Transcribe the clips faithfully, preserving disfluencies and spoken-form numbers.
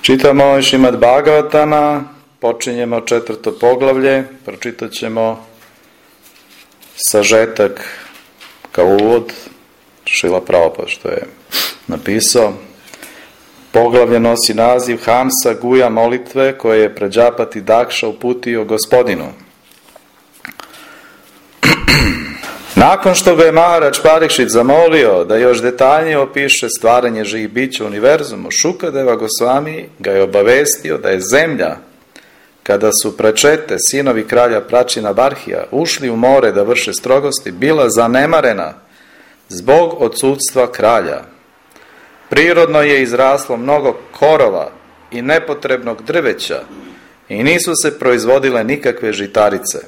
Čitamo Šrimad Bhagavatama, počinjemo četvrto poglavlje, pročitat ćemo sažetak kao uvod Šrila Prabhupada što je napisao. Poglavlje nosi naziv Hamsa Guja molitve koje je Prađapati Dakša uputio gospodinu. Nakon što ga je Maharaj Parikšit zamolio da još detaljnije opiše stvaranje živih bića u univerzumu, Šukadeva Gosvami ga je obavestio da je zemlja, kada su Pračete, sinovi kralja Pračina Barhija, ušli u more da vrše strogosti, bila zanemarena zbog odsudstva kralja. Prirodno je izraslo mnogo korova i nepotrebnog drveća i nisu se proizvodile nikakve žitarice.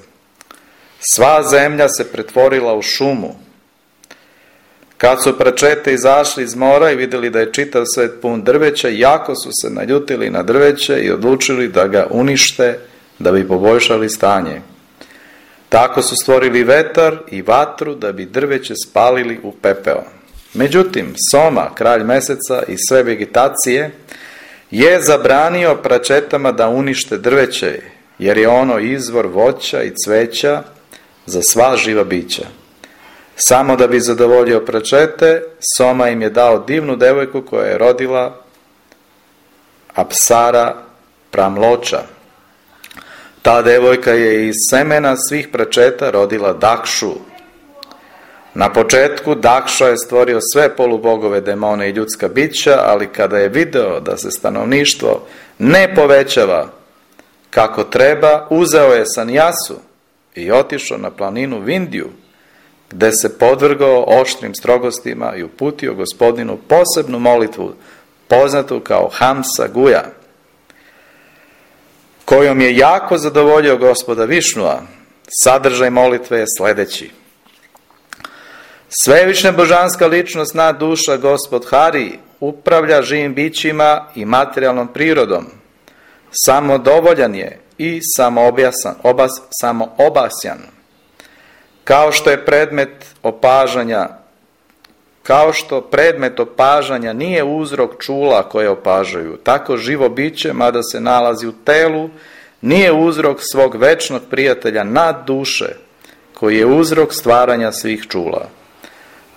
Sva zemlja se pretvorila u šumu. Kad su Pračete izašli iz mora i vidjeli da je čitav svet pun drveća, jako su se naljutili na drveće i odlučili da ga unište da bi poboljšali stanje. Tako su stvorili vetar i vatru da bi drveće spalili u pepeo. Međutim, Soma, kralj meseca i sve vegetacije, je zabranio Pračetama da unište drveće, jer je ono izvor voća i cveća za sva živa bića. Samo da bi zadovoljio Pračete, Soma im je dao divnu devojku koja je rodila Apsara Pramloča. Ta devojka je iz semena svih Pračeta rodila Dakšu. Na početku Dakša je stvorio sve polubogove, demone i ljudska bića, ali kada je video da se stanovništvo ne povećava kako treba, uzeo je sanjasu i otišao na planinu Vindiju, gde se podvrgao oštrim strogostima i uputio gospodinu posebnu molitvu, poznatu kao Hamsa Guja, kojom je jako zadovoljio gospoda Višnua. Sadržaj molitve je sljedeći. Svevišnja božanska ličnost, nad duša gospod Hari, upravlja živim bićima i materijalnom prirodom. Samodovoljan je i samoobjasan, obas, samoobasjan. Kao što je predmet opažanja, kao što predmet opažanja nije uzrok čula koje opažaju, tako živo biće, mada se nalazi u telu, nije uzrok svog večnog prijatelja nad duše, koji je uzrok stvaranja svih čula.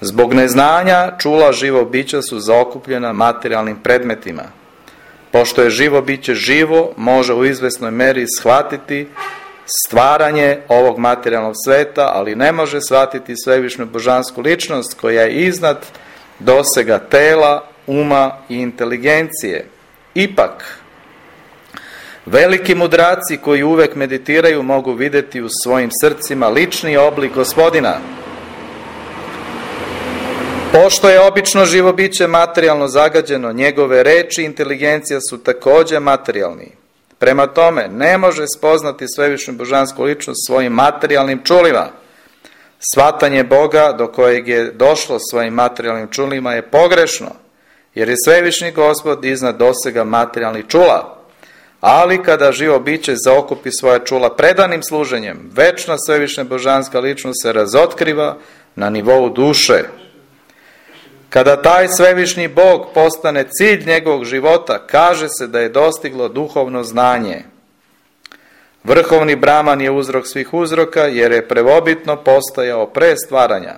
Zbog neznanja čula živo bića su zaokupljena materijalnim predmetima. Pošto je živo biće živo, može u izvesnoj meri shvatiti stvaranje ovog materijalnog sveta, ali ne može shvatiti svevišnju božansku ličnost koja je iznad dosega tela, uma i inteligencije. Ipak, veliki mudraci koji uvek meditiraju mogu vidjeti u svojim srcima lični oblik gospodina. Pošto je obično živo biće materijalno zagađeno, njegove reči i inteligencija su također materijalni. Prema tome, ne može spoznati svevišnju božansku ličnost svojim materijalnim čulima. Shvatanje Boga do kojeg je došlo svojim materijalnim čulima je pogrešno, jer je svevišnji gospod iznad dosega materijalnih čula. Ali kada živo biće zaokupi svoja čula predanim služenjem, večna svevišnja božanska ličnost se razotkriva na nivou duše. Kada taj svevišnji Bog postane cilj njegovog života, kaže se da je dostiglo duhovno znanje. Vrhovni Brahman je uzrok svih uzroka, jer je prvobitno postojao pre stvaranja.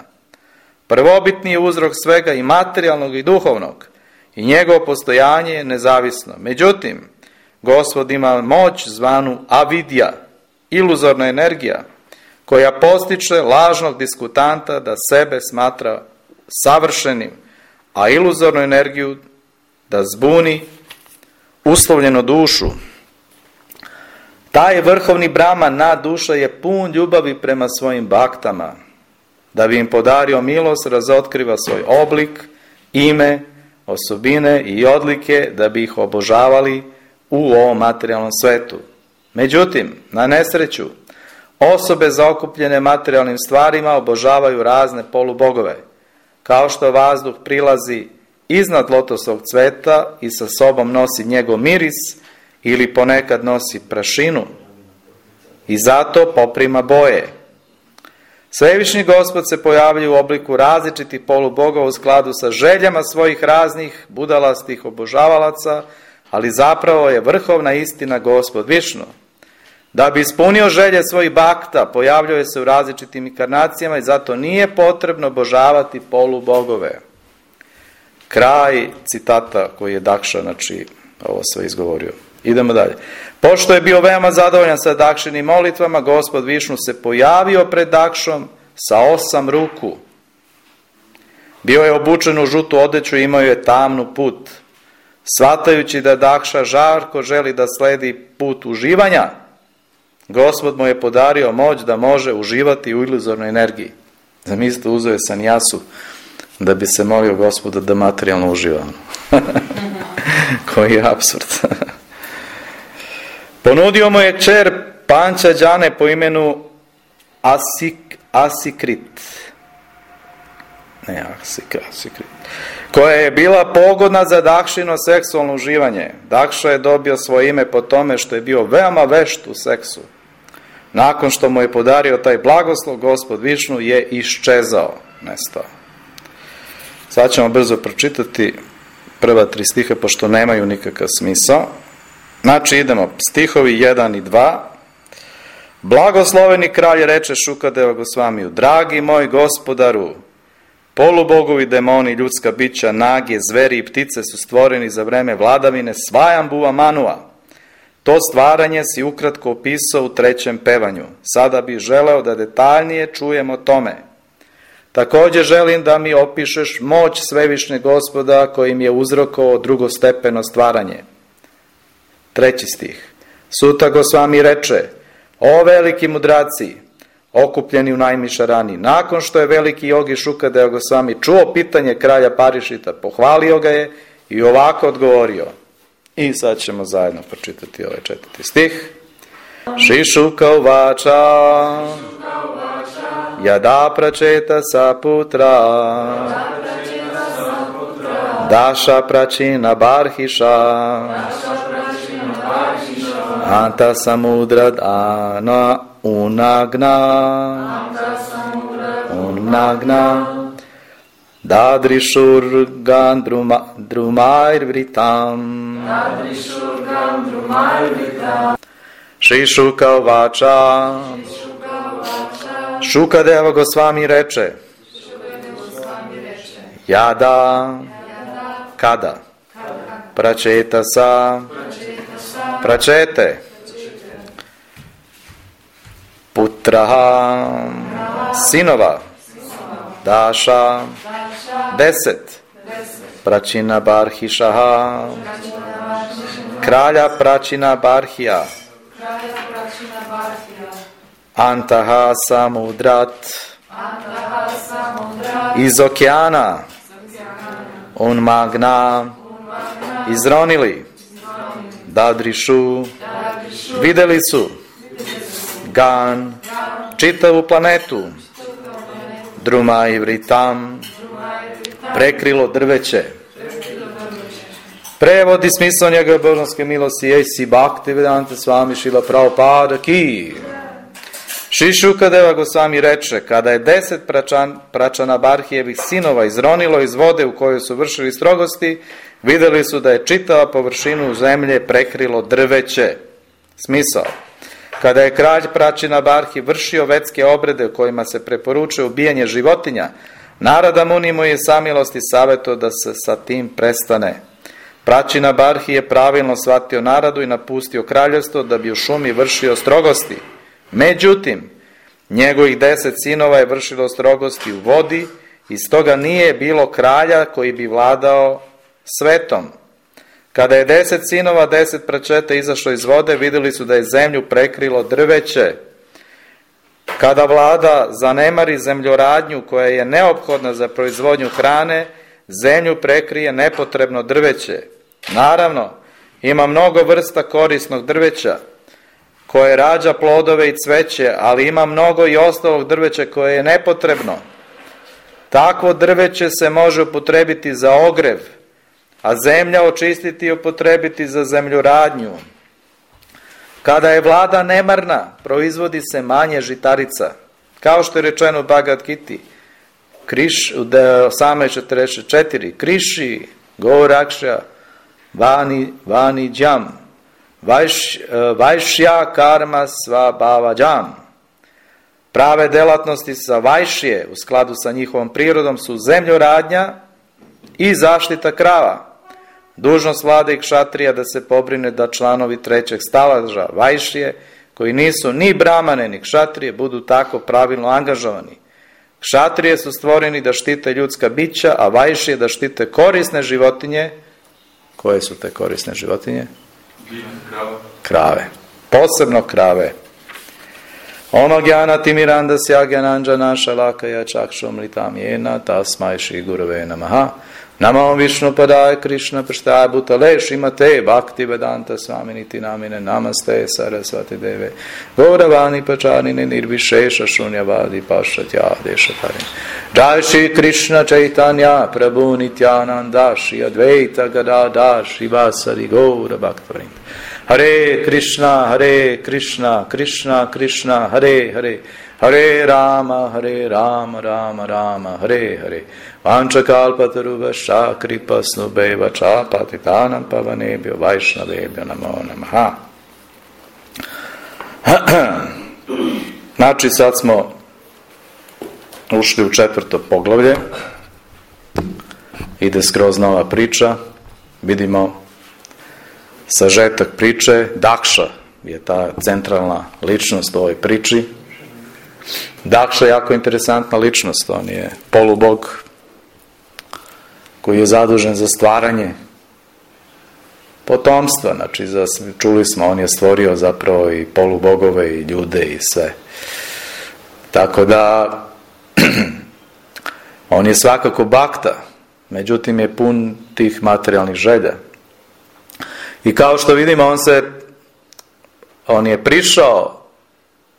Prvobitni je uzrok svega i materijalnog i duhovnog, i njegovo postojanje je nezavisno. Međutim, Gospod ima moć zvanu avidja, iluzorna energija, koja postiče lažnog diskutanta da sebe smatra savršenim, a iluzornu energiju da zbuni uslovljenu dušu. Taj vrhovni Brahman, nad duša, je pun ljubavi prema svojim baktama. Da bi im podario milost, razotkriva svoj oblik, ime, osobine i odlike, da bi ih obožavali u ovom materijalnom svetu. Međutim, na nesreću, osobe zaokupljene materijalnim stvarima obožavaju razne polubogove. Kao što vazduh prilazi iznad lotosovog cveta i sa sobom nosi njegov miris ili ponekad nosi prašinu i zato poprima boje. Svevišnji Gospod se pojavljuje u obliku različitih polubogova u skladu sa željama svojih raznih budalastih obožavalaca, ali zapravo je vrhovna istina Gospod Višnu. Da bi ispunio želje svojih bakta, pojavljuje se u različitim inkarnacijama i zato nije potrebno obožavati polubogove. Kraj citata koji je Dakša, znači, ovo sve izgovorio. Idemo dalje. Pošto je bio veoma zadovoljan sa Dakšinim molitvama, Gospod Višnu se pojavio pred Dakšom sa osam ruku. Bio je obučen u žutu odeću i imao je tamnu put. Shvatajući da Dakša žarko želi da sledi put uživanja, Gospod mu je podario moć da može uživati u iluzornoj energiji. Zamislite, uzeo je sanjasu da bi se molio Gospoda da materijalno uživa. Koji je apsurd. Ponudio mu je kćer Pančađane po imenu Asik, Asikrit. Ne, Asik, Asikrit. Koja je bila pogodna za Dakšino seksualno uživanje. Dakša je dobio svoje ime po tome što je bio veoma vešt u seksu. Nakon što mu je podario taj blagoslov, Gospod Višnu je iščezao, nestao. Sad ćemo brzo pročitati prva tri stiha, pošto nemaju nikakav smisao. Znači, idemo, stihovi jedan i dva. Blagosloveni kralj reče Šukadeva Gosvamiju: dragi moj gospodaru, polubogovi, demoni, ljudska bića, nage, zveri i ptice su stvoreni za vreme vladavine Svajambuva Manua. To stvaranje si ukratko opisao u trećem pevanju. Sada bih želeo da detaljnije čujem o tome. Također želim da mi opišeš moć Svevišnjeg Gospoda kojim je uzrokovao drugostepeno stvaranje. Treći stih. Suta Gosvami reče: o veliki mudraci, okupljeni u Najmišarani, nakon što je veliki jogi Šukadeva Gosvami čuo pitanje kralja Parišita, pohvalio ga je i ovako odgovorio. I sad ćemo zajedno pročitati ovaj četvrti stih. Šišuka uvača Yada pračeta saputra Daša pračina barhiša Anta samudra dana unagna Unagna Dadrishur gandruma drumair vritam Šišuka uvača Šukadeva Gosvami reče: Jada, kada, pračeta sa, pračete, putraha, sinova, daša, deset, pračina barhišaha, kralja pračina barhija, Antaha samudrat, iz okeana, unmagna, izronili, dadrišu, videli su, gan, čitavu planetu, druma i vritam, prekrilo drveće. Prevodi smisao njegove božanske milosti Jesi Bhakti Vedanta Swami Šila Prabhupada ki. Šri Šukadeva Gosvami reče: kada je deset pračan, pračana Barhijevih sinova izronilo iz vode u kojoj su vršili strogosti, vidjeli su da je čitava površinu zemlje prekrilo drveće. Smisao. Kada je kralj pračina Barhi vršio vetske obrede u kojima se preporučuje ubijanje životinja, Narada Muni mu je samilosti savjetovao da se sa tim prestane. Pračina Barhi je pravilno shvatio Naradu i napustio kraljevstvo da bi u šumi vršio strogosti. Međutim, njegovih deset sinova je vršilo strogosti u vodi i stoga nije bilo kralja koji bi vladao svetom. Kada je deset sinova, deset pračeta izašlo iz vode, vidjeli su da je zemlju prekrilo drveće. Kada vlada zanemari zemljoradnju koja je neophodna za proizvodnju hrane, zemlju prekrije nepotrebno drveće. Naravno, ima mnogo vrsta korisnog drveća koje rađa plodove i cveće, ali ima mnogo i ostalog drveća koje je nepotrebno. Takvo drveće se može upotrebiti za ogrev, a zemlja očistiti i upotrebiti za zemljoradnju. Kada je vlada nemarna, proizvodi se manje žitarica. Kao što je rečeno u Bhagavad Giti, Kriš, u osamnaest četrdeset četiri, Kriši, Gorakša, vani, vani džam, vajš, vajšja karma sva bava džam. Prave delatnosti sa vajšje u skladu sa njihovom prirodom su zemljoradnja i zaštita krava. Dužnost vlade i kšatrija da se pobrine da članovi trećeg stalaža vajšje, koji nisu ni bramane ni kšatrije, budu tako pravilno angažovani. Kšatrije su stvoreni da štite ljudska bića, a vajšije da štite korisne životinje. Koje su te korisne životinje? Krave. Posebno krave. Ono gyana timiranda syagananjana shalakaya chakshomritam yena tasmai shri gurave namaha. Namo Vishnu padaya Krishna prasthaya bhutale Srimate Bhakti Vedanta Swaminiti Namine Namaste Saraswati Deve Gauravani Pacharine Nirvishesha Shunyavadi Pashatya Deshatarin. Jai Shri Krishna Chaitanya Prabhu Nityananda Shri Advaita Gadadhar Shivasari Gaura Bhaktavrind. Hare Krishna Hare Krishna Krishna Krishna Hare Hare Hare Rama Hare Rama Rama Rama Hare Hare Vanchakalpatarubhascha kripasnubheva patitanam pavanebhyo vaishnavebhyo namo namaha. Znači sad smo ušli u četvrto poglavlje. Ide skroz nova priča. Vidimo sažetak priče. Dakša je ta centralna ličnost u ovoj priči. Dakša je jako interesantna ličnost. On je polubog koji je zadužen za stvaranje potomstva. Znači, za, čuli smo, on je stvorio zapravo i polubogove i ljude i sve. Tako da on je svakako bakta, međutim je pun tih materijalnih želja. I kao što vidimo, on se on je prišao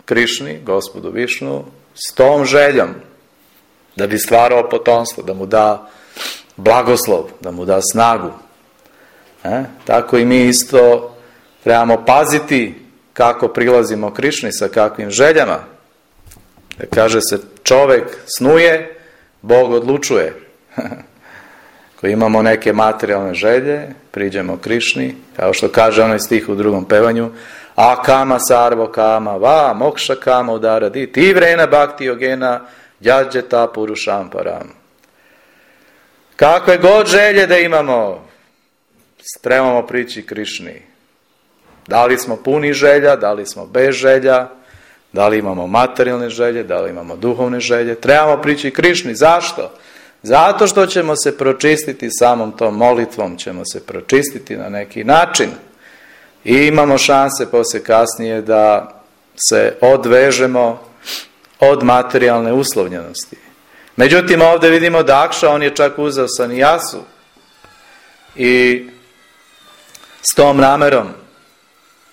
Krišni, gospodu Višnu, s tom željom da bi stvarao potomstvo, da mu da blagoslov, da mu da snagu. E? Tako i mi isto trebamo paziti kako prilazimo Krišni, sa kakvim željama. Da kaže se, čovjek snuje, Bog odlučuje. Ako imamo neke materijalne želje, priđemo Krišni, kao što kaže onaj stih u drugom pevanju, a kama sarvo kama va mokša kama udara di ti vrena bhakti yogena djađeta purušam param. Kakve god želje da imamo, trebamo prići Krišni. Da li smo puni želja, da li smo bez želja, da li imamo materijalne želje, da li imamo duhovne želje, trebamo prići Krišni. Zašto? Zato što ćemo se pročistiti samom tom molitvom, ćemo se pročistiti na neki način. I imamo šanse poslije kasnije da se odvežemo od materijalne uslovljenosti. Međutim, ovdje vidimo Dakša, on je čak uzeo sanijasu i s tom namerom,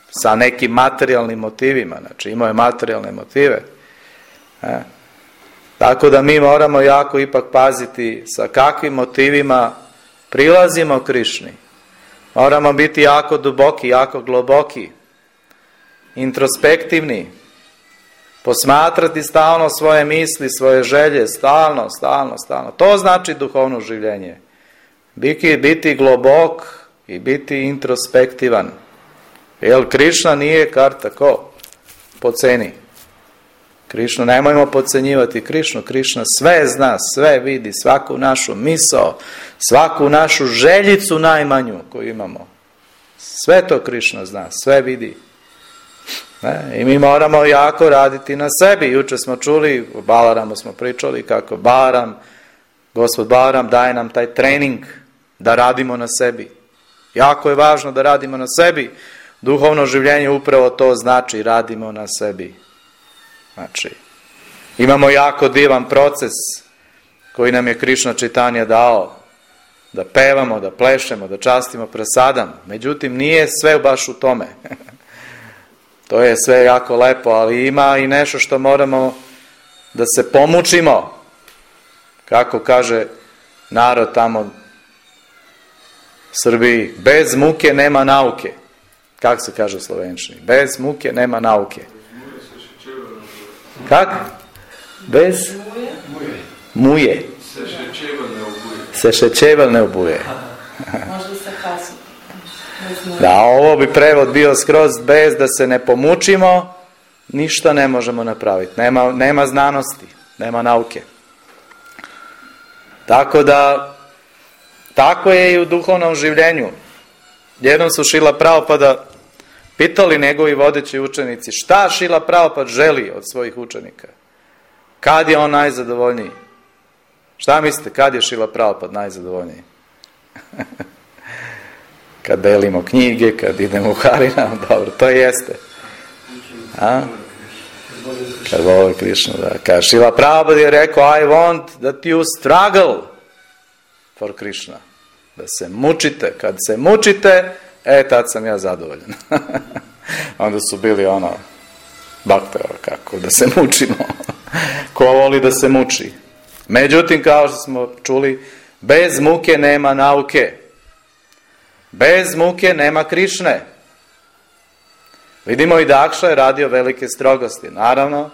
sa nekim materijalnim motivima, znači imao je materijalne motive. E? Tako da mi moramo jako ipak paziti sa kakvim motivima prilazimo Krišni. Moramo biti jako duboki, jako globoki, introspektivni, posmatrati stalno svoje misli, svoje želje, stalno, stalno, stalno. To znači duhovno življenje. Biti, biti globok i biti introspektivan. Jer Krišna nije kar tako po ceni. Krišnu, nemojmo podcenjivati Krišnu. Krišna sve zna, sve vidi, svaku našu misao, svaku našu željicu najmanju koju imamo. Sve to Krišna zna, sve vidi. Ne? I mi moramo jako raditi na sebi. Jučer smo čuli, u Balaramu smo pričali kako Balaram, Gospod Balaram daje nam taj trening da radimo na sebi. Jako je važno da radimo na sebi. Duhovno življenje upravo to znači, radimo na sebi. Znači, imamo jako divan proces koji nam je Krišna Čitanja dao, da pevamo, da plešemo, da častimo prasadam. Međutim, nije sve baš u tome. To je sve jako lepo, ali ima i nešto što moramo da se pomučimo. Kako kaže narod tamo u Srbiji, bez muke nema nauke. Kako se kaže u slovenčini? Bez muke nema nauke. Kako? Bez muje. Se še čevelj ne obuje. Možda sa kasom. Da, ovo bi prevod bio skroz bez da se ne pomučimo, ništa ne možemo napraviti. Nema, nema znanosti, nema nauke. Tako da, tako je i u duhovnom življenju. Jednom su Šrila Prabhupada pitali njegovi vodeći učenici šta Šrila Prabhupada želi od svojih učenika. Kad je on najzadovoljniji? Šta mislite, kad je Šrila Prabhupada najzadovoljniji? Kad delimo knjige, kad idemo u Harinam, dobro, to jeste. A? Kad voli Krišnu, da. Kad Šrila Prabhupada je rekao, I want that you struggle for Krishna. Da se mučite. Kad se mučite, e, tad sam ja zadovoljan. Onda su bili ono, bakte, kako, da se mučimo. Ko voli da se muči. Međutim, kao što smo čuli, bez muke nema nauke. Bez muke nema Krišne. Vidimo i Dakša je radio velike strogosti. Naravno,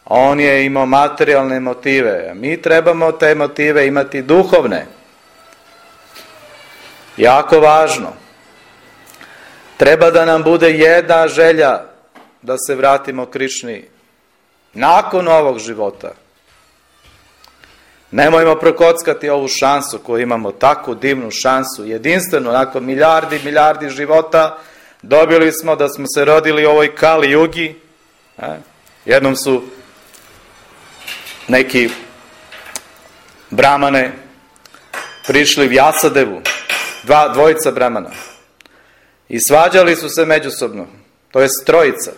on je imao materijalne motive. Mi trebamo te motive imati duhovne. Jako važno. Treba da nam bude jedna želja da se vratimo Krišni nakon ovog života. Nemojmo prokockati ovu šansu koju imamo, takvu divnu šansu, jedinstveno, nakon milijardi, milijardi života, dobili smo da smo se rodili u ovoj Kali Jugi. Jednom su neki brahmane prišli Vjasadevu, dva, dvojica brahmana, i svađali su se međusobno, to je trojica.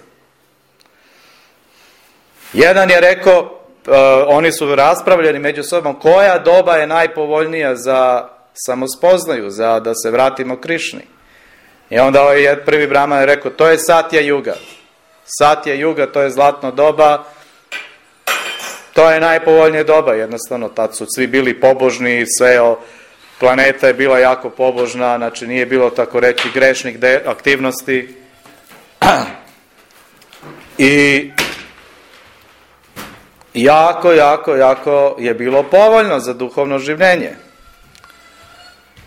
Jedan je rekao, Uh, oni su raspravljeni među sobom koja doba je najpovoljnija za samospoznaju, za da se vratimo Krišni. I onda ovaj prvi brahman je rekao, to je Satya Yuga. Satya Yuga, to je zlatno doba, to je najpovoljnije doba, jednostavno tad su svi bili pobožni, sve o, planeta je bila jako pobožna, znači nije bilo tako reći grešnih de, aktivnosti. I jako, jako, jako je bilo povoljno za duhovno življenje.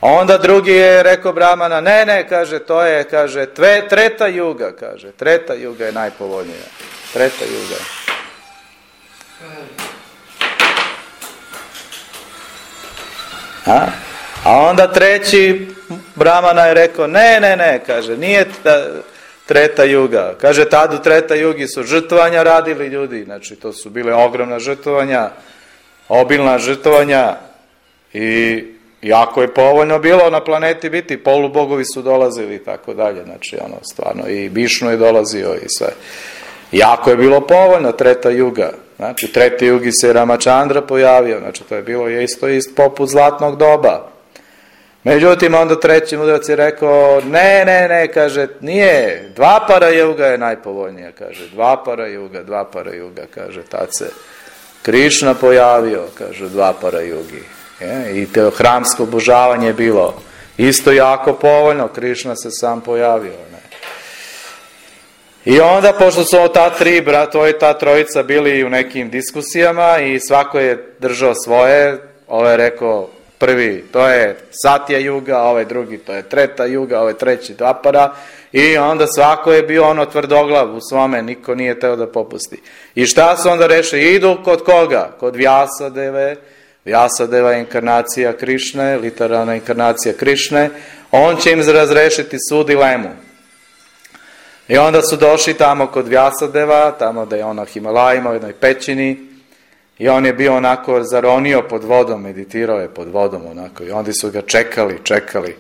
Onda drugi je rekao brahmana, ne, ne, kaže, to je, kaže, tve, treta juga, kaže, treta juga je najpovoljnija. Treta juga. A? A onda treći brahmana je rekao, ne, ne, ne, kaže, nije ta, Treta Juga. Kaže, tad u Treta Jugi su žrtvovanja radili ljudi, znači to su bile ogromna žrtvovanja, obilna žrtvovanja i jako je povoljno bilo na planeti biti, polubogovi su dolazili i tako dalje, znači ono stvarno i Višnu je dolazio i sve. Jako je bilo povoljno Treta Juga, znači Treta Jugi se Ramachandra pojavio, znači to je bilo isto isto poput zlatnog doba. Međutim, onda treći mudrac je rekao, ne, ne, ne, kaže, nije, Dvapara Juga je najpovoljnija, kaže, Dvapara Juga, Dvapara Juga, kaže, tad se Krišna pojavio, kaže, Dvapara Jugi. Je, i te hramsko obožavanje je bilo isto jako povoljno, Krišna se sam pojavio. Ne. I onda, pošto su ta tri brata i ta trojica bili u nekim diskusijama i svako je držao svoje, ovo je rekao, prvi, to je Satya Juga, ovaj drugi, to je Treta Juga, ovaj treći Dvapara, i onda svako je bio ono tvrdoglav u svome, niko nije teo da popusti. I šta su onda rešili? Idu kod koga? Kod Vjasadeve. Vjasadeva je inkarnacija Krišne, literalna inkarnacija Krišne, on će im razrešiti svu dilemu. I onda su došli tamo kod Vjasadeva, tamo da je on na Himalajima, u jednoj pećini, i on je bio onako zaronio pod vodom, meditirao je pod vodom onako, i onda su ga čekali, čekali,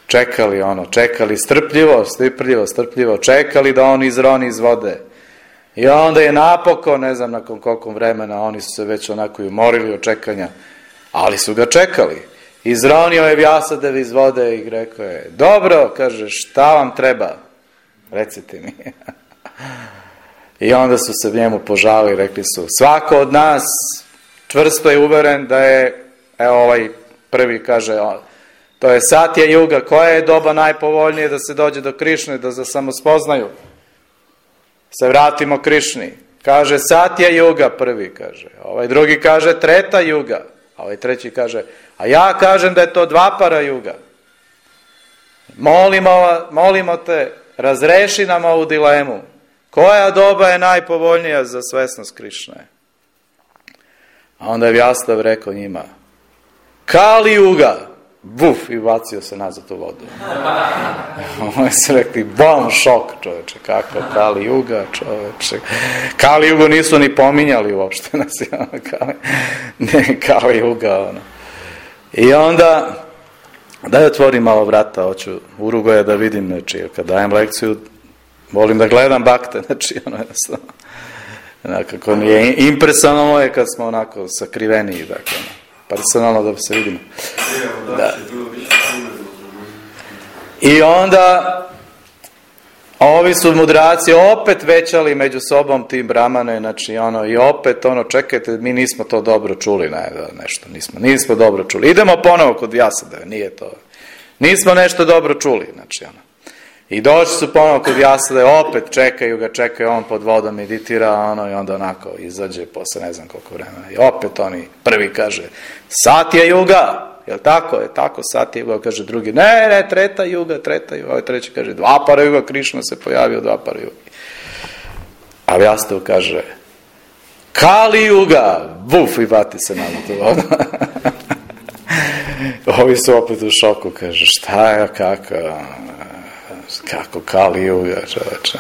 čekali ono, čekali strpljivo, strpljivo, strpljivo, čekali da on izroni iz vode. I onda je napokon, ne znam nakon koliko vremena, oni su se već onako i umorili od čekanja, ali su ga čekali. Izronio je Vjasadev iz vode i rekao je, dobro, kaže, šta vam treba? Recite mi. I onda su se njemu požali, rekli su, svako od nas čvrsto je uveren da je, evo ovaj prvi kaže, to je Satya Juga, koja je doba najpovoljnije da se dođe do Krišne, da se samospoznaju, se vratimo Krišni. Kaže Satya Juga prvi, kaže, ovaj drugi kaže Treta Juga, a ovaj treći kaže, a ja kažem da je to Dvapara Juga. Molimo, molimo te, razreši nam ovu dilemu. Koja doba je najpovoljnija za svesnost Krišne? A onda je Vjastav rekao njima, Kali Juga, buf, i bacio se nazad u vodu. Oni su rekli, bom, šok, čoveče, kako Kali Juga, čoveče. Kali Jugu nisu ni pominjali uopšte, Kali, ne, Kali Juga, ono. I onda, daj otvorim malo vrata, hoću Urugoja da vidim, znači, kad dajem lekciju, volim da gledam bakte, znači, ono, jednostavno, nekako nije impresivno je kad smo onako sakriveniji, dakle, personalno da se vidimo. Da. I onda ovi su mudraci opet većali među sobom tim Brahmane, znači ono, i opet ono, čekajte, mi nismo to dobro čuli, ne, nešto, nismo, nismo dobro čuli. Idemo ponovo kod Vjasadeve, nije to, nismo nešto dobro čuli, znači ono. I došli su ponovo kod Vjasadeve, opet čekaju ga, čekaju, on pod vodom meditira, ono, i onda onako izađe posle ne znam koliko vremena. I opet oni, prvi kaže, Satya Juga, jel tako, je tako, Satya Juga, kaže drugi, ne, ne, Treta Juga, Treta Juga, ovaj treći kaže, Dvapara Juga, Krišna se pojavio, Dvapara Juga. A Vjastav kaže, Kali Juga, buf, i bati se na tu vodu. Ovi su opet u šoku, kaže, šta je, kako, kako Kali Juga, čoveče.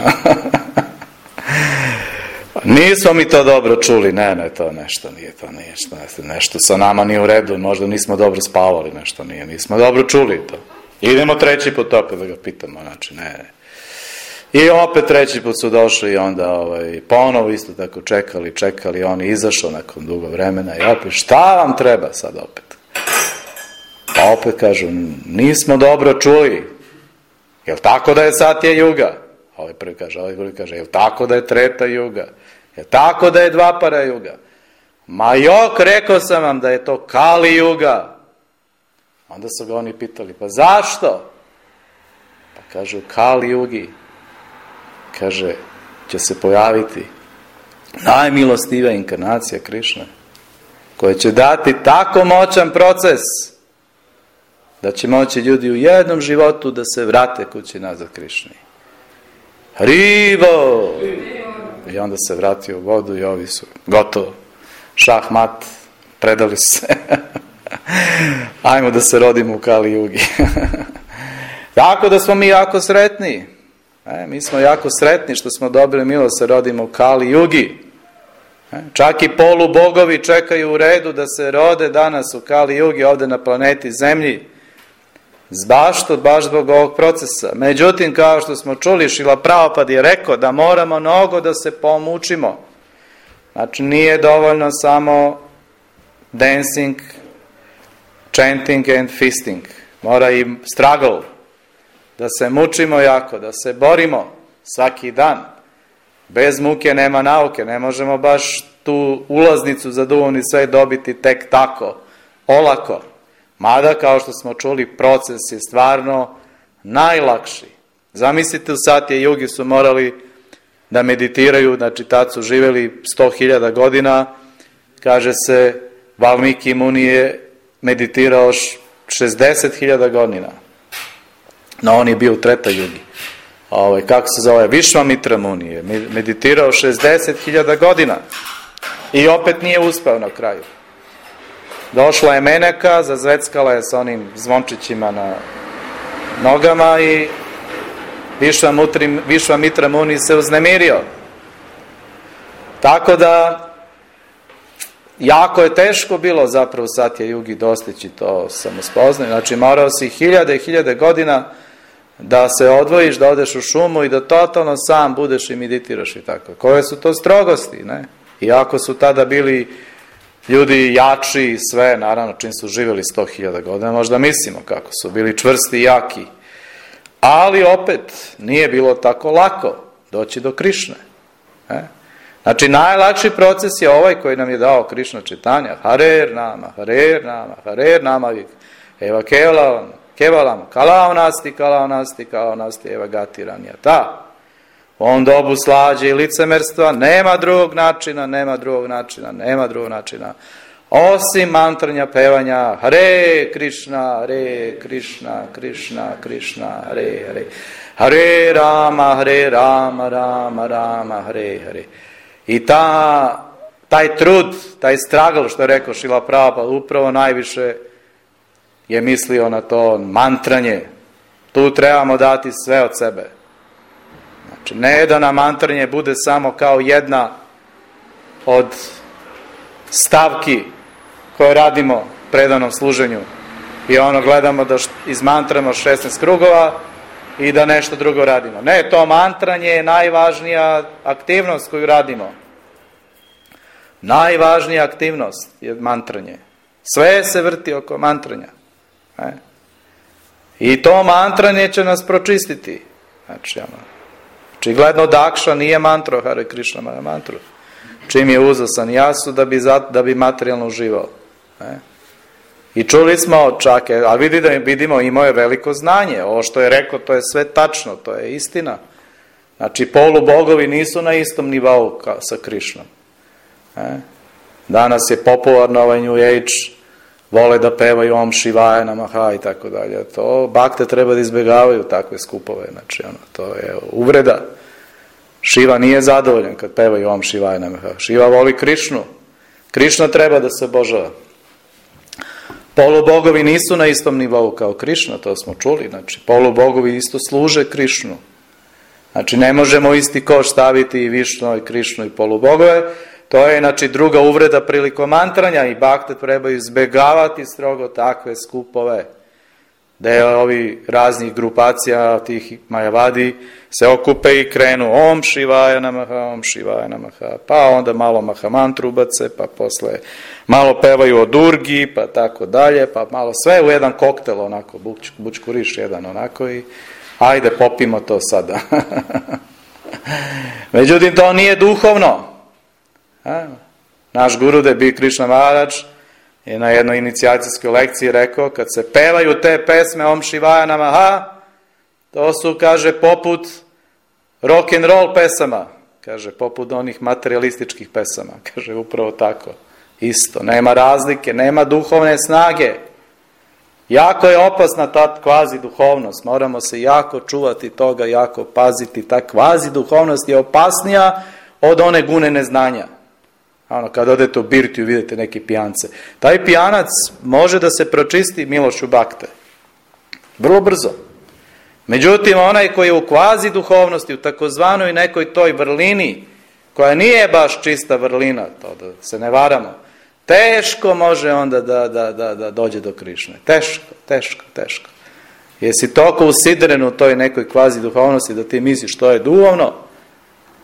Nismo mi to dobro čuli, ne, ne, to nešto nije, to nije, nešto, nešto sa nama nije u redu, možda nismo dobro spavali, nešto nije, nismo dobro čuli to. Idemo treći put opet da ga pitamo, znači, ne, ne. I opet treći put su došli i onda ovaj, ponovo isto tako čekali, čekali, on je izašao nakon dugo vremena i opet, šta vam treba sad opet? Pa opet kažu, nismo dobro čuli. Jel tako da je Satya Juga? Ovaj prvi kaže, ovaj drugi kaže, jel tako da je Treta Juga? Jel tako da je Dvapara Juga? Ma jok, rekao sam vam da je to Kali Juga. Onda su ga oni pitali, pa zašto? Pa kažu, Kali Jugi, kaže, će se pojaviti najmilostivija inkarnacija Krišne, koja će dati tako moćan proces da će moći ljudi u jednom životu da se vrate kući nazad Krišni. Hrivo! I onda se vratio u vodu i ovi su gotovo. Šah mat, predali se. Ajmo da se rodimo u Kali Jugi. Tako da smo mi jako sretni. E, mi smo jako sretni što smo dobili milost se rodimo u Kali Jugi. E, čak i polubogovi čekaju u redu da se rode danas u Kali Jugi ovdje na planeti Zemlji. Baš to, baš zbog ovog procesa. Međutim, kao što smo čuli, Šrila Prabhupada je rekao da moramo mnogo da se pomučimo. Znači, nije dovoljno samo dancing, chanting and feasting. Mora i struggle. Da se mučimo jako, da se borimo svaki dan. Bez muke nema nauke. Ne možemo baš tu ulaznicu za duhovni svet dobiti tek tako, olako. Mada, kao što smo čuli, proces je stvarno najlakši. Zamislite, u Satya Jugi su morali da meditiraju, znači tad su živjeli sto hiljada godina, kaže se, Valmiki Muni je meditirao šezdeset hiljada godina. No, on je bio u Treta Jugi. Ovaj, kako se zove? Višvamitra Muni je meditirao šezdeset hiljada godina. I opet nije uspeo na kraju. Došla je Meneka, zazveckala je sa onim zvončićima na nogama i Višvamitra Muni se uznemirio. Tako da jako je teško bilo zapravo Satya Jugi dostići to samospoznanje. Znači morao si hiljade i hiljade godina da se odvojiš, da odeš u šumu i da totalno sam budeš i meditiraš i tako. Koje su to strogosti, ne? Iako su tada bili ljudi jači i sve, naravno čim su živjeli sto hiljada godina, možda mislimo kako su bili čvrsti i jaki. Ali opet nije bilo tako lako doći do Krišne. Ne? Znači najlakši proces je ovaj koji nam je dao Krišna Čitanja. Harer nama, harer nama, harer nama, eva kevalam, kevalam, kalao nasti, kalao nasti, kalao nasti, eva gati ranjata. U ovom dobu slađe i licemerstva nema drugog načina, nema drugog načina, nema drugog načina. Osim mantranja, pevanja Hare Krishna, Hare Krishna, Krishna, Krishna, Hare Hare, Hare Rama, Hare Rama, Rama, Rama, Hare Hare. I ta, taj trud, taj struggle, što je rekao Šrila Prabhupada, upravo najviše je mislio na to mantranje. Tu trebamo dati sve od sebe. Znači, ne da nam mantranje bude samo kao jedna od stavki koje radimo predanom služenju i ono gledamo da izmantramo šesnaest krugova i da nešto drugo radimo. Ne, to mantranje je najvažnija aktivnost koju radimo. Najvažnija aktivnost je mantranje. Sve se vrti oko mantranja. Ne? I to mantranje će nas pročistiti. Znači, ono, očigledno Dakša nije mantro Hare Krishna mantru. Čim je uzeo sanjasu da bi, da bi materijalno uživao. Ne? I čuli smo čak, a vidi da vidimo, imao je veliko znanje. Ovo što je rekao, to je sve tačno, to je istina. Znači, polubogovi nisu na istom nivou ka, sa Krišnom. Ne? Danas je popularno ovaj New Age, vole da pevaju Om Šivaja Namaha i tako dalje. To bakte treba da izbjegavaju takve skupove. Znači, ono, to je uvreda. Šiva nije zadovoljan kad pevaju Om Šivaja Namaha. Šiva voli Krišnu. Krišna treba da se obožava. Polubogovi nisu na istom nivou kao Krišna, to smo čuli. Znači, polubogovi isto služe Krišnu. Znači, ne možemo isti koš staviti i Višnu i Krišnu i polubogove. To je, znači, druga uvreda prilikom mantranja i bakte trebaju izbjegavati strogo takve skupove. Da je ovi raznih grupacija, tih Majavadi, se okupe i krenu Om Šivaja Namaha, Om Šivaja Namaha, pa onda malo Mahamantru ubace, pa posle malo pevaju o Durgi, pa tako dalje, pa malo sve u jedan koktel, onako, buč, bučkuriš jedan onako i ajde popimo to sada. Međutim, to nije duhovno. A? Naš Gurudev Bi Krishna Maharaj je na jednoj inicijacijskoj lekciji rekao, kad se pevaju te pesme Om Šivaja Namaha, to su, kaže, poput rock and roll pesama, kaže, poput onih materialističkih pesama, kaže, upravo tako, isto, nema razlike, nema duhovne snage. Jako je opasna ta kvazi duhovnost, moramo se jako čuvati toga, jako paziti, ta kvazi duhovnost je opasnija od one gune neznanja. Ono, kad odete u birtiju vidite neki pijance. Taj pijanac može da se pročisti milošću bakte. Vrlo brzo. Međutim, onaj koji je u kvazi duhovnosti, u takozvanoj nekoj toj vrlini, koja nije baš čista vrlina, to da se ne varamo, teško može onda da, da, da, da dođe do Krišne. Teško, teško, teško. Jesi toliko usidren u toj nekoj kvazi duhovnosti da ti misliš što je duhovno,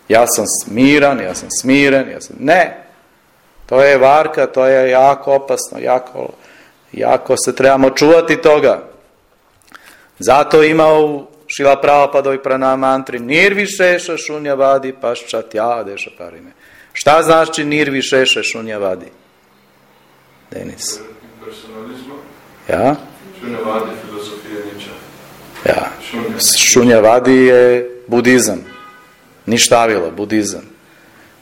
ja sam smiran, ja sam smiren, ja sam... Ne. To je varka, to je jako opasno, jako, jako se trebamo čuvati toga. Zato ima u Šrila Prabhupadovoj pranama mantri Nirvišeša šunjavadi paščatja deša parime. Šta znači Nirvišeša šunjavadi? Denis. Personalizma. Ja? Šunjavadi filozofija niča. Ja. Šunjavadi je budizam. Ništavilo, budizam.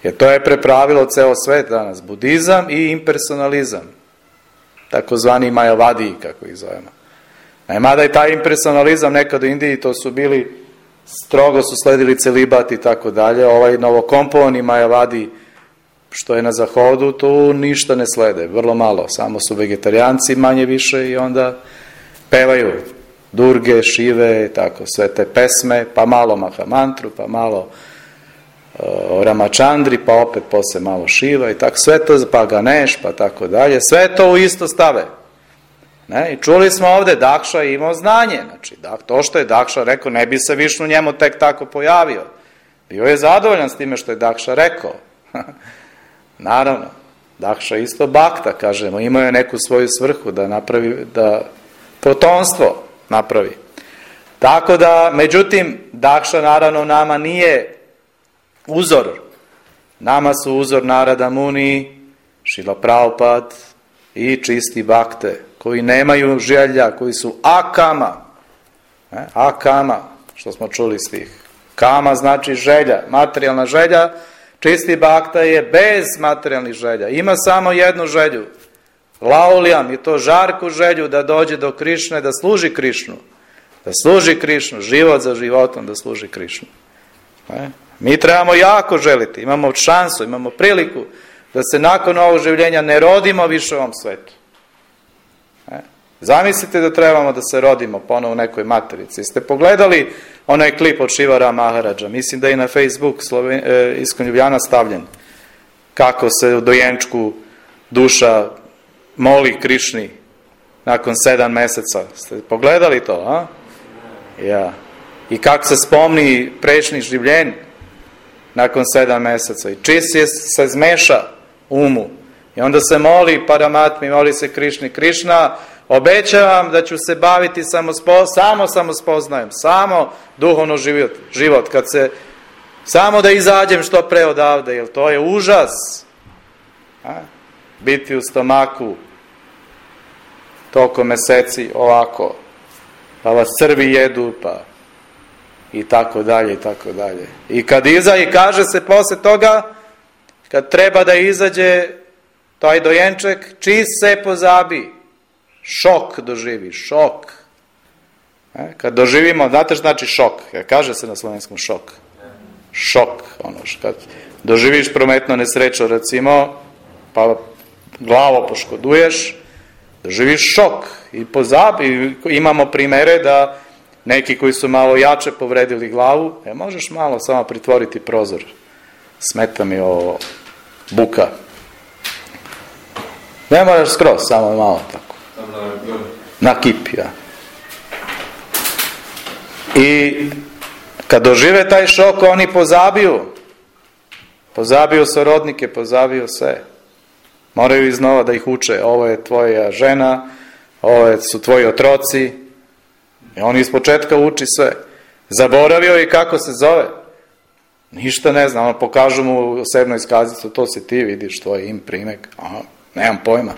Jer to je prepravilo ceo svet danas. Budizam i impersonalizam. Takozvani Majavadi, kako ih zovemo. Mada i taj impersonalizam nekad u Indiji, to su bili, strogo su sledili celibat i tako dalje. Ovaj novokompovani Majavadi, što je na zahodu, tu ništa ne slede. Vrlo malo. Samo su vegetarijanci manje više i onda pevaju Durge, Šive, tako, sve te pesme, pa malo Mahamantru, pa malo o Ramachandri, pa opet posle malo Šiva i tako, sve to, pa Ganeš, pa tako dalje, sve to u isto stave. Ne? I čuli smo ovde, Dakša je imao znanje, znači, to što je Dakša rekao, ne bi se Višnu njemu tek tako pojavio. Bio je zadovoljan s time što je Dakša rekao. Naravno, Dakša isto bakta, kažemo, imao je neku svoju svrhu da napravi, da potomstvo napravi. Tako da, međutim, Dakša naravno nama nije uzor. Nama su uzor Narada Muni, Šrila Prabhupada i čisti bakte, koji nemaju želja, koji su akama. Ne? Akama, što smo čuli stih. Kama znači želja, materijalna želja. Čisti bakta je bez materijalnih želja. Ima samo jednu želju. Laulijam i to žarku želju da dođe do Krišne, da služi Krišnu. Da služi Krišnu, život za životom da služi Krišnu. E? Mi trebamo jako želiti, imamo šansu, imamo priliku da se nakon ovog življenja ne rodimo više u ovom svetu. E? Zamislite da trebamo da se rodimo ponovo u nekoj materici. Ste pogledali onaj klip od Šivara Maharadža? Mislim da je na Facebook Sloven... e, Iskon Ljubljana stavljen. Kako se u dojenčku duša moli Krišni nakon sedam meseca. Ste pogledali to, a? Ja. I kako se spomni prešni življen nakon sedam meseca. I čist je se zmeša umu. I onda se moli Paramatmi, moli se Krišni. Krišna, obećavam da ću se baviti samo, spo, samo samospoznajem, samo duhovno život, život. Kad se, samo da izađem što pre odavde, jer to je užas. A? Biti u stomaku toliko meseci ovako, pa vas crvi jedu, pa i tako dalje, i tako dalje. I kad iza, i kaže se posle toga, kad treba da izađe taj dojenček, čist se pozabi. Šok doživi, šok. E, kad doživimo, znate što znači šok? Kaže se na slovenskom šok. Šok, ono, kad doživiš prometno nesreću, recimo, pa glavo poškoduješ, doživiš šok i pozabi. Imamo primere da neki koji su malo jače povredili glavu, e, možeš malo samo pritvoriti prozor. Smeta mi ovo buka. Ne moraš skroz, samo malo tako. Na kip, ja. I kad dožive taj šok, oni pozabiju. Pozabiju srodnike, pozabiju sve. Moraju iznova da ih uče. Ovo je tvoja žena, ovo su tvoji otroci. I on iz početka uči sve. Zaboravio je kako se zove. Ništa ne zna. On pokažu mu osobnu iskaznicu, to si ti, vidiš tvoj im, primek. Aha, nemam pojma.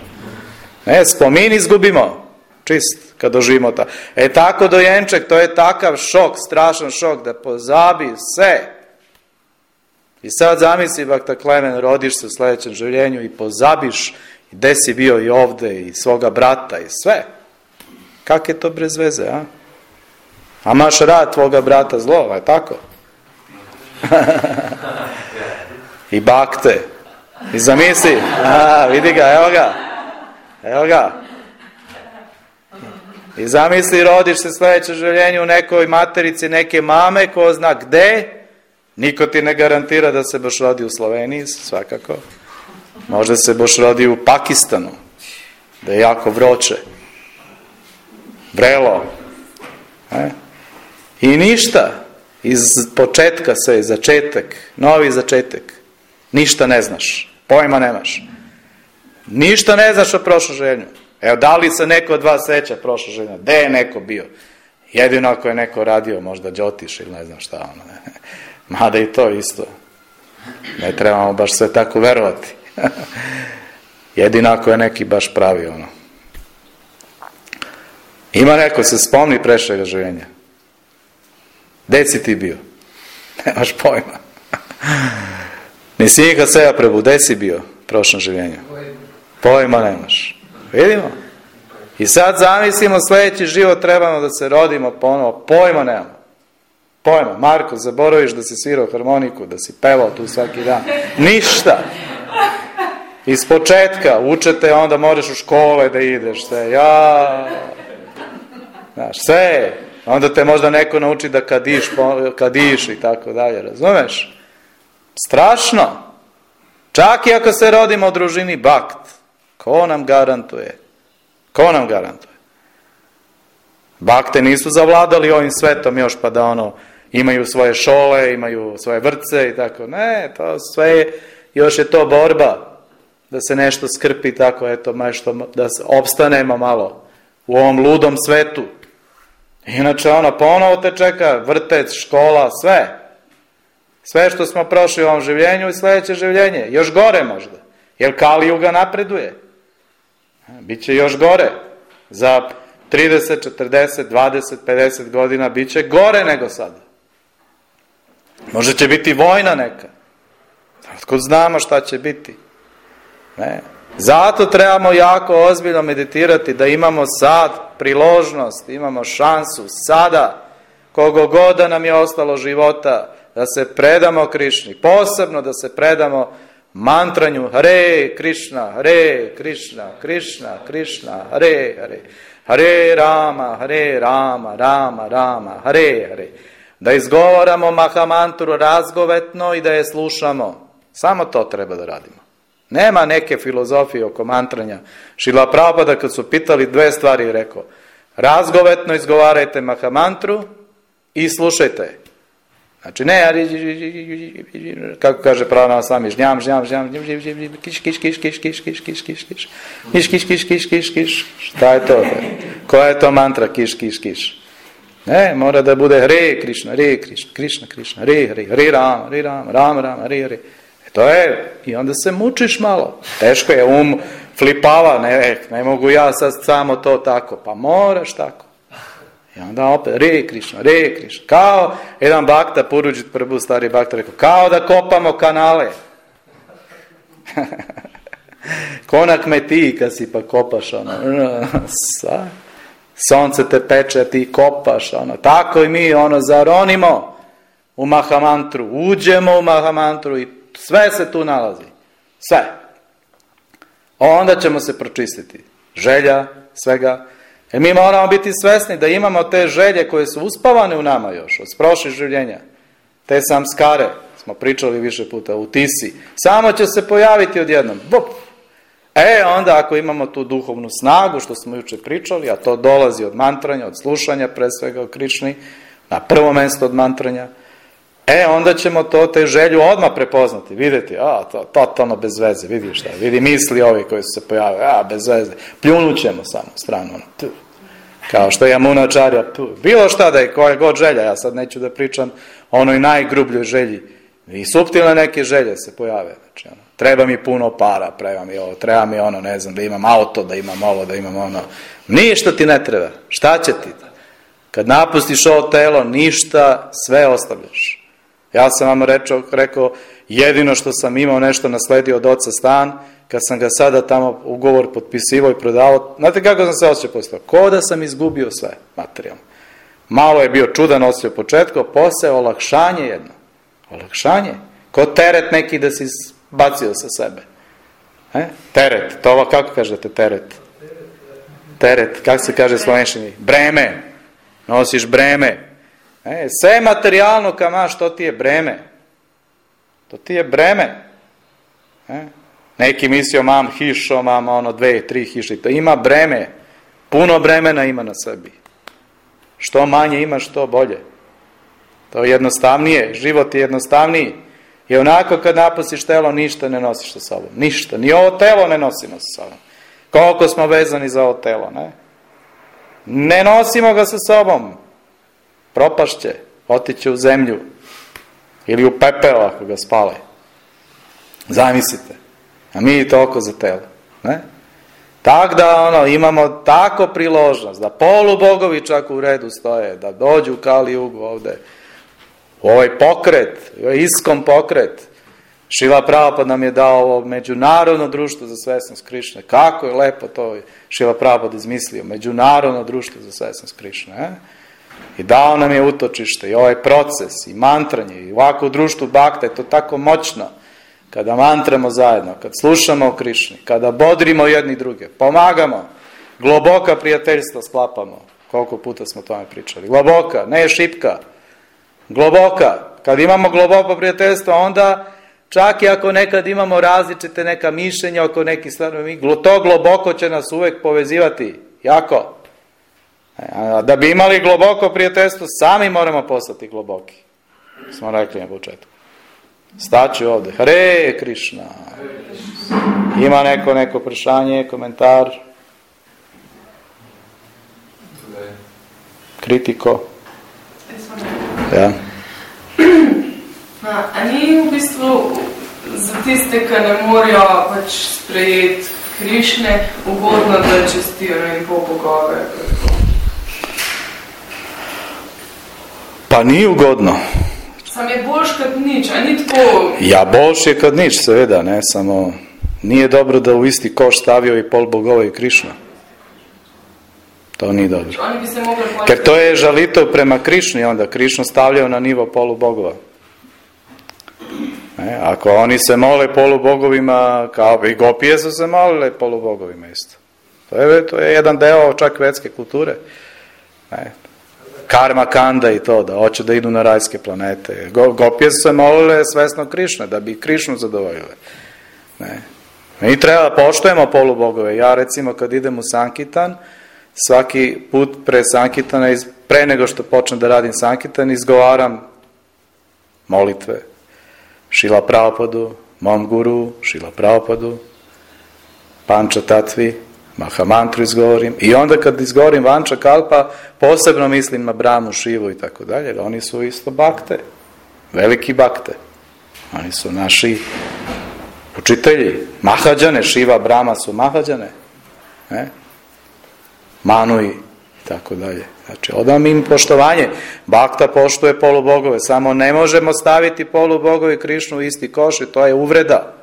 Ne, spomin izgubimo. Čist, kad doživimo ta. E tako dojenček, to je takav šok, strašan šok, da pozabi sve. I sad zamisli, Bakta Klemen, rodiš se u sljedećem življenju i pozabiš gde si bio i ovde, i svoga brata, i sve. Kak je to bez veze, a? A maš rad tvoga brata zlo, je tako? I bakte. I zamisli, a, vidi ga, evo ga. Evo ga. I zamisli, rodiš se sljedeće življenje u nekoj materici neke mame, ko zna gde. Niko ti ne garantira da se boš rodi u Sloveniji, svakako. Možda se boš rodi u Pakistanu, da je jako vroče. Vrelo. E? I ništa. Iz početka sve, začetak, novi začetak. Ništa ne znaš. Pojma nemaš. Ništa ne znaš o prošlom življenju. Evo, da li se neko od vas seća prošlo življenja? Gde je neko bio? Jedino ako je neko radio, možda Đotiš ili ne znam šta ono. Mada i to isto. Ne trebamo baš sve tako verovati. Jedino ako je neki baš pravi ono. Ima neko se spomni prešega življenja. Gde si ti bio? Nemaš pojma. Nisi nikad seba prebu, gde si bio u prošlom življenju? Pojma nemaš. Vidimo? I sad zamislimo sljedeći život, trebamo da se rodimo ponovo. Pojma nemamo. Pojma. Marko, zaboraviš da si svirao harmoniku, da si pevao tu svaki dan. Ništa. Iz početka učete, onda moraš u škole da ideš. Sve. Ja. Znaš, sve. Onda te možda neko nauči da kadiš, kadiš i tako dalje. Razumeš? Strašno. Čak i ako se rodimo u družini Bakt. Ko nam garantuje? Ko nam garantuje? Bakte nisu zavladali ovim svetom još pa da ono imaju svoje šole, imaju svoje vrtce i tako. Ne, to sve još je to borba da se nešto skrpi tako, eto, nešto, da opstanemo malo u ovom ludom svetu. Inače ono ponovo te čeka vrtec, škola, sve. Sve što smo prošli u ovom življenju i sljedeće življenje. Još gore možda. Jer Kali Juga napreduje. Biće još gore. Za trideset, četrdeset, dvadeset, pedeset godina biće gore nego sada. Možda će biti vojna neka. Otkud znamo šta će biti. Ne. Zato trebamo jako ozbiljno meditirati, da imamo sad priložnost, imamo šansu sada, kogo god da nam je ostalo života, da se predamo Krišni, posebno da se predamo mantranju Hare Krišna, Hare Krišna, Krišna, Krišna, Hare Hare, Hare Rama, Hare Rama, Rama, Rama, Hare Hare. Da izgovaramo mahamantru razgovetno i da je slušamo. Samo to treba da radimo. Nema neke filozofije oko mantranja. Šrila Prabhupada kad su pitali dve stvari rekao: razgovetno izgovarajte mahamantru i slušajte. Znači ne, kako kaže Prabhupada sami, žnjam, žnjam, žnjam, kiš, kiš, kiš, kiš, kiš, kiš, kiš, kiš, kiš, kiš, kiš, kiš, kiš, kiš, kiš, šta je to? Koja je to mantra kiš, kiš, kiš? Ne, mora da bude Hare Krišna, Hare Krišna, Krišna, Krišna, Hare Hare, Hare Rama, Hare Rama, Rama Rama, Hare Hare. E to je, i onda se mučiš malo. Teško je, um flipava, ne, ne mogu ja sad samo to tako, pa moraš tako. I onda opet, Hare Krišna, Hare Krišna. Kao jedan bakta, Puruđit Prabhu, stari bakta, rekao, kao da kopamo kanale. Konak me ti kad si pa kopaš, ono, sa, sonce te peče, ti kopaš, ono, tako i mi, ono, zaronimo u mahamantru, uđemo u mahamantru i sve se tu nalazi, sve. Onda ćemo se pročistiti, želja, svega. Jer mi moramo biti svesni da imamo te želje koje su uspavane u nama još, od prošlih življenja. Te samskare, smo pričali više puta, u tisi, samo će se pojaviti odjednom. Bup. E, onda ako imamo tu duhovnu snagu, što smo juče pričali, a to dolazi od mantranja, od slušanja, pre svega o Krišni, na prvo mjesto od mantranja, e, onda ćemo to, te želju odmah prepoznati, vidjeti, a, to, totalno bez veze, vidi šta, vidi misli ovi koji su se pojavili, a, bez veze, pljunut ćemo samo stranu, tu. Kao što je Jamunačarja, bilo šta da je, koja god želja, ja sad neću da pričam o onoj najgrubljoj želji, i suptilne neke želje se pojave, znači, ono, treba mi puno para, treba mi ovo, treba mi ono, ne znam, da imam auto, da imam ovo, da imam ono, ništa ti ne treba, šta će ti? Kad napustiš ovo telo, ništa, sve ostavljaš. Ja sam vam rečao, rekao, jedino što sam imao nešto nasledio od oca stan, kad sam ga sada tamo ugovor potpisivao i prodavao, znate kako sam se osjećao poslije? Ko da sam izgubio sve materijalno. Malo je bio čudan osjećaj u početku, posle olakšanje jedno. Olakšanje. Ko teret neki da si bacio sa sebe. E? Teret. To kako kažete teret? Teret. Kako se kaže slovenščini? Breme. Nosiš breme. E, sve materijalno kama, što ti je breme? To ti je breme. E? Neki mislio, mam hišo, mam ono dve, tri hiše. To ima breme. Puno bremena ima na sebi. Što manje ima, što bolje. To je jednostavnije. Život je jednostavniji. I onako kad napustiš telo, ništa ne nosiš sa sobom. Ništa. Ni ovo telo ne nosimo sa sobom. Koliko smo vezani za ovo telo, ne? Ne nosimo ga sa sobom. Propašće. Otiće u zemlju. Ili u pepeo ako ga spale. Zamislite. A mi toliko za telo. Ne? Tak da ono, imamo tako priložnost, da polubogovi čak u redu stoje, da dođu u Kali Jugu ovde, u ovaj pokret, u ovaj iskom pokret. Šrila Prabhupada nam je dao ovo međunarodno društvo za svesnost Krišne. Kako je lepo to Šrila Prabhupada izmislio, međunarodno društvo za svesnost Krišne. Eh? I dao nam je utočište i ovaj proces i mantranje i ovako u društvu bakta je to tako moćno. Kada mantramo zajedno, kad slušamo o Krišni, kada bodrimo jedni druge, pomagamo, globoka prijateljstva sklapamo. Koliko puta smo o tome pričali. Globoka, ne šipka. Globoka. Kad imamo globoko prijateljstvo, onda čak i ako nekad imamo različite neka mišljenja oko nekih stvari, to globoko će nas uvek povezivati. Jako. Da bi imali globoko prijateljstvo, sami moramo postati globoki. Smo rekli na početku. Staću ovde. Hare Krišna. Ima neko neko prešanje, komentar? Kritiko? Ja. A, a ni v bistvu za tiste, ki ne morejo pač sprejeti Krišne, ugodno, da čestijo in pol bogove? Pa ni ugodno. Sam je boljš kot nič, a ni tako? Ja, boljš je kot nič, seveda, ne, samo nije dobro da u isti koš stavio i pol bogova i Krišna. To nije dobro. Oni bi se mogli Ker to je žalitev prema Krišni, onda Krišnu stavljao na nivo polubogova. Ne? Ako oni se mole polubogovima, kao i gopije su se molile polubogovima isto. To je, to je jedan deo čak vedske kulture. Ne? Karma kanda i to, da hoće da idu na rajske planete. Go, gopije su se molile svesno Krišne, da bi Krišnu zadovoljile. Ne? Mi treba da poštujemo polubogove. Ja recimo kad idem u Sankitan, svaki put pre Sankitana, pre nego što počnem da radim Sankitan, izgovaram molitve Šila Prabhupadu, mom guru, Šila Prabhupadu, Panča Tatvi, Mahamantru izgovorim. I onda kad izgovorim Vanča Kalpa, posebno mislim na Brahmu, Šivu i tako dalje. Oni su isto bakte, veliki bakte. Oni su naši učitelji, Mahađane, Šiva, Brahma su Mahađane. Ne? Manu i tako dalje. Znači, odam im poštovanje. Bakta poštuje polubogove, samo ne možemo staviti polubogove i Krišnu u isti koš i to je uvreda.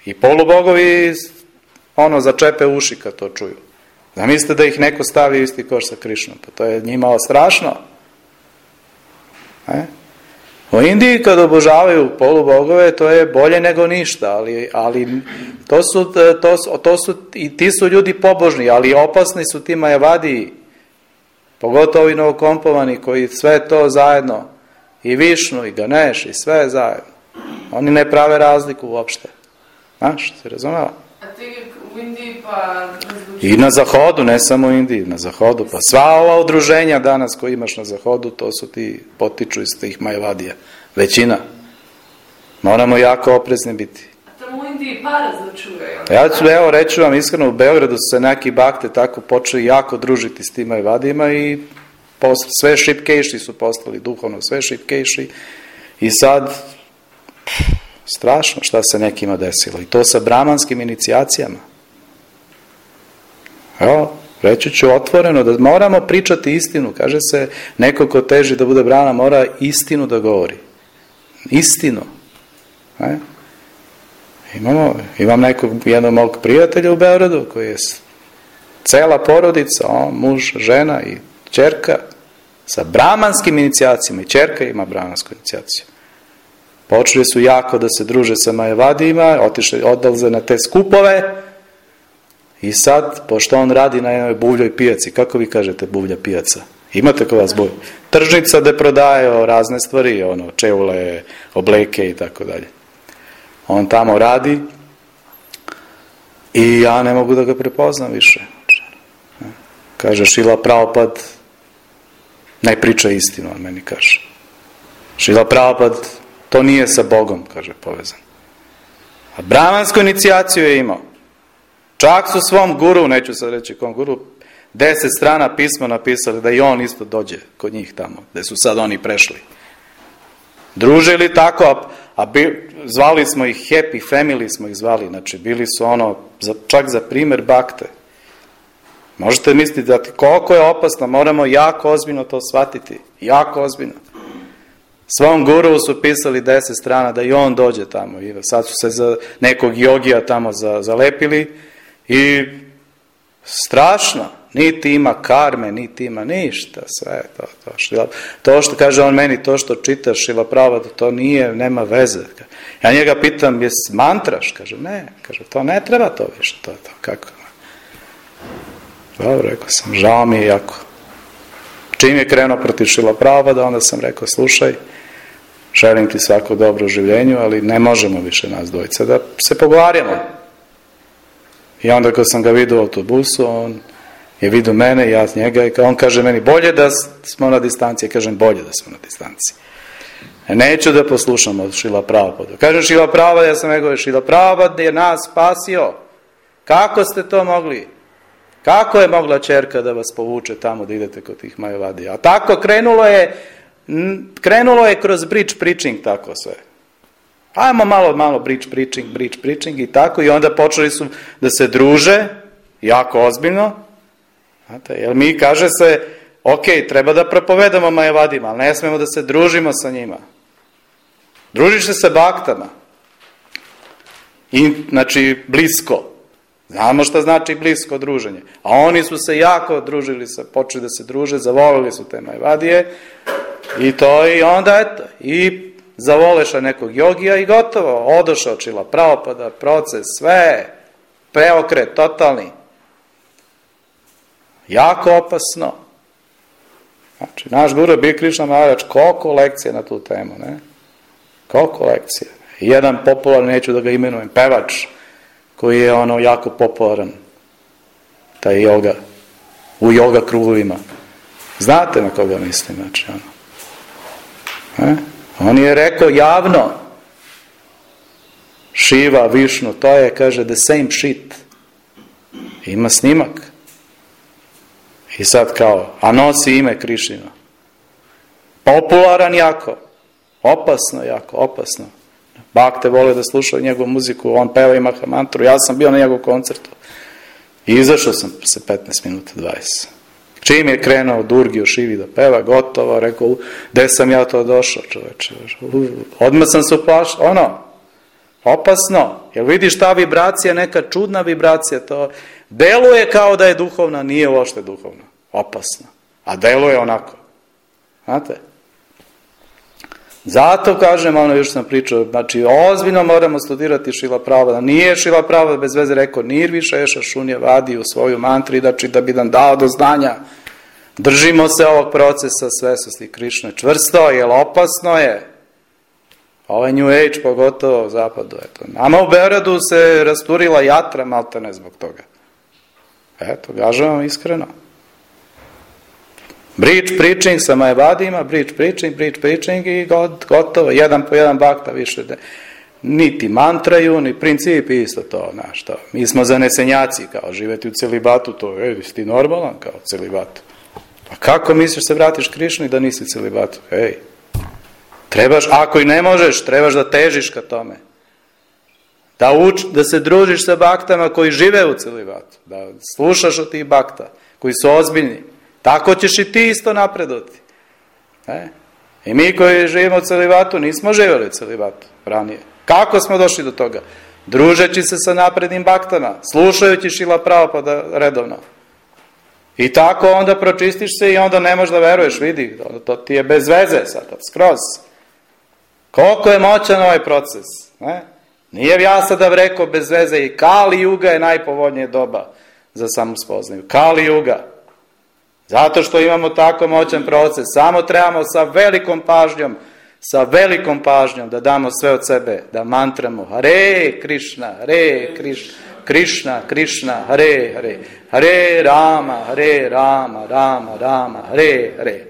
I polubogovi ono začepe uši kad to čuju. Zamislite da ih neko stavi u isti koš sa Krišnom, pa to je njima strašno. E? U Indiji kad obožavaju polubogove, to je bolje nego ništa, ali, ali to, su, to, su, to su, i ti su ljudi pobožni, ali opasni su ti majavadiji, pogotovo i novokompovani koji sve to zajedno, i Višnu, i Ganeš, i sve zajedno. Oni ne prave razliku uopšte. Znaš, se razumela? A ti u Indiji pa... I na Zahodu, ne samo u Indiji, na Zahodu. Pa sva ova udruženja danas koji imaš na Zahodu, to su ti potiču iz tih majavadija. Većina. Moramo jako oprezni biti. A tamo u Indiji para začuvaju. Ja ću, evo, reću vam iskreno, u Beogradu su se neki bakte tako počeli jako družiti s tim majavadijima i post, sve šipkejši su postali, duhovno sve šipkejši. I sad... strašno šta se nekima desilo. I to sa brahmanskim inicijacijama. Evo, reći ću otvoreno da moramo pričati istinu. Kaže se, neko ko teži da bude brahmana mora istinu da govori. Istinu. E? Imamo, imam nekog, jednog mog prijatelja u Beogradu koji je cela porodica, on, muž, žena i ćerka sa brahmanskim inicijacijama. I ćerka ima brahmansku inicijaciju. Počeli su jako da se druže sa majavadijima, otišli, odlaze na te skupove i sad, pošto on radi na jednoj buvljoj pijaci, kako vi kažete buvlja pijaca? Imate kod vas buvlja? Tržnica gde prodaje razne stvari, ono, čevule, obleke i tako dalje. On tamo radi i ja ne mogu da ga prepoznam više. Kaže, Šila Prabhupad ne priča istinu, on meni kaže. Šila Prabhupad to nije sa Bogom, kaže, povezan. A brahmansku inicijaciju je imao. Čak su svom guru, neću sad reći kom guru, deset strana pisma napisali da i on isto dođe kod njih tamo, gde su sad oni prešli. Družili tako, a, a bi, zvali smo ih happy family, smo ih zvali, znači bili su ono, za, čak za primer bakte. Možete misliti da ti, koliko je opasno, moramo jako ozbiljno to shvatiti, jako ozbiljno. Svom guru su pisali deset strana da i on dođe tamo i sad su se za nekog jogija tamo za, zalepili i strašno, niti ima karme, niti ima ništa, sve to, to, šila, to što kaže on meni, to što čitaš Šila Prabhupada, to nije, nema veze. Ja njega pitam, jes mantraš? Kaže, ne, kaže, to ne treba to više, to je to, kako? Dobro, rekao sam, žao mi je jako. Čim je krenuo protiv Šila Prabhupada, onda sam rekao, slušaj, želim ti svako dobro u življenju, ali ne možemo više nas dvojica da se pogovarjamo. I onda kad sam ga vidio u autobusu, on je vidio mene, ja njega, i on kaže meni, bolje da smo na distanciji. Ja kažem, bolje da smo na distanciji. Neću da poslušam od Šila Prabhupada. Kažem, Šila Prabhupada, ja sam rekao, Šila Prabhupada je nas spasio. Kako ste to mogli? Kako je mogla ćerka da vas povuče tamo da idete kod tih majavadija? A tako krenulo je, krenulo je kroz bridge preaching, tako sve. Ajmo malo, malo bridge preaching, bridge preaching i tako, i onda počeli su da se druže, jako ozbiljno. Znate, jer mi, kaže se, ok, treba da propovedamo majavadima, ali ne smemo da se družimo sa njima. Družiš se sa baktama. I, znači, blisko. Znamo šta znači blisko druženje. A oni su se jako družili, sa, počeli da se druže, zavolili su te Majvadije i to i onda eto, i zavoleša nekog jogija i gotovo. Odošao Šrila Prabhupada, proces, sve, preokret, totalni. Jako opasno. Znači, naš guru Big Krishna Maharaj, koliko lekcija na tu temu, ne? Koliko lekcija. Jedan popularan, neću da ga imenujem, pevač, koji je ono jako popularan, taj joga, u joga krugovima. Znate na koga mislim, znači, ono. E? On je rekao javno, Šiva, Višnu, to je, kaže, the same shit. Ima snimak. I sad kao, a nosi ime Krišnino. Popularan jako. Opasno jako, opasno. Bakte vole da slušaju njegovu muziku, on peva i Mahamantru. Ja sam bio na njegovu koncertu. I izašao sam se petnaest minuta, dvadeset. Čim je krenuo Durgi o Šivi da peva, gotovo, rekao, gde sam ja to došao, čoveče. Odmah sam se uplašao, ono, opasno. Jel vidiš ta vibracija, neka čudna vibracija, to deluje kao da je duhovna, nije uopšte duhovna. Opasna. A deluje onako. Znate? Zato kažem, ono još sam pričao, znači ozbiljno moramo studirati Šrila Prabhupada. Nije Šrila Prabhupada bez veze rekao Nirviša Eša Šunja Vadi u svoju mantri, znači da bi nam dao do znanja. Držimo se ovog procesa svesnosti Krišne čvrsto, jer opasno je. Ovaj New Age, pogotovo u zapadu. Eto. Nama u Beogradu se rasturila jatra maltene zbog toga. Eto, gažem vam iskreno. Bridge preaching sa Majavadima, bridge preaching, bridge preaching i gotovo, jedan po jedan bakta više. Ne. Niti mantraju, ni principi isto to, znaš to. Mi smo zanesenjaci, kao živeti u celibatu, to je, si ti normalan kao celibatu. Pa kako misliš se vratiš Krišni da nisi celibatu? Ej, trebaš, ako i ne možeš, trebaš da težiš ka tome. Da, uč, da se družiš sa baktama koji žive u celibatu, da slušaš od tih bakta, koji su ozbiljni. Tako ćeš i ti isto napredoti. E? I mi koji živimo u celibatu, nismo živjeli u celibatu ranije. Kako smo došli do toga? Družeći se sa naprednim baktama, slušajući Šrila Prabhupada redovno. I tako onda pročistiš se i onda ne možeš da veruješ, vidi, to ti je bez veze sad, skroz. Koliko je moćan ovaj proces? Ne? Nije ja sada rekao bez veze i Kali Juga je najpovoljnije doba za samospoznaju. Kali Juga. Zato što imamo tako moćan proces, samo trebamo sa velikom pažnjom, sa velikom pažnjom da damo sve od sebe, da mantramo Hare Krišna, Hare Krišna, Krišna, Krišna, Hare Hare, Hare Rama, Hare Rama, Rama, Rama, Hare Hare.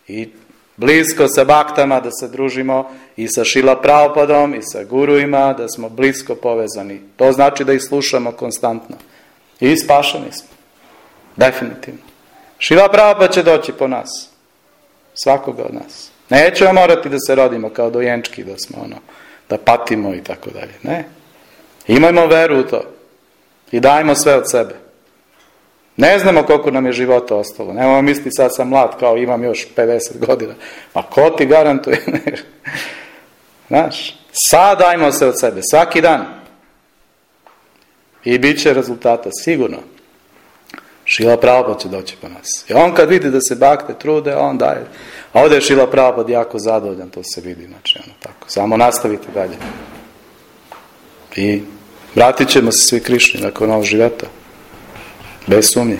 I blisko sa baktama da se družimo i sa Šrila Prabhupadom i sa guruima, da smo blisko povezani. To znači da ih slušamo konstantno. I spašeni smo. Definitivno. Šrila Prabhupada će doći po nas. Svakoga od nas. Nećemo morati da se rodimo kao dojenčki, da smo ono, da patimo i tako dalje. Ne. Imajmo veru u to. I dajmo sve od sebe. Ne znamo koliko nam je života ostalo. Nemamo misli sad sam mlad, kao imam još pedeset godina. A ko ti garantuje? Znaš, sad dajmo sve od sebe. Svaki dan. I bit će rezultata, sigurno. Šrila Prabhupada će doći po nas. I on kad vidi da se bakte trude, on daje. A ovdje je Šrila Prabhupada jako zadovoljan, to se vidi. Znači, ono tako. Samo nastavite dalje. I vratit ćemo se svi Krišni nakon ovog života. Bez sumnje.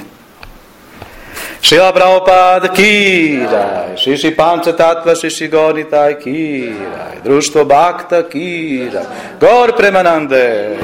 Šrila Prabhupada ki raj, Šiši Panča Tatva Šiši Gornitaj ki raj, Društvo Bakta ki raj, Gor Premanande.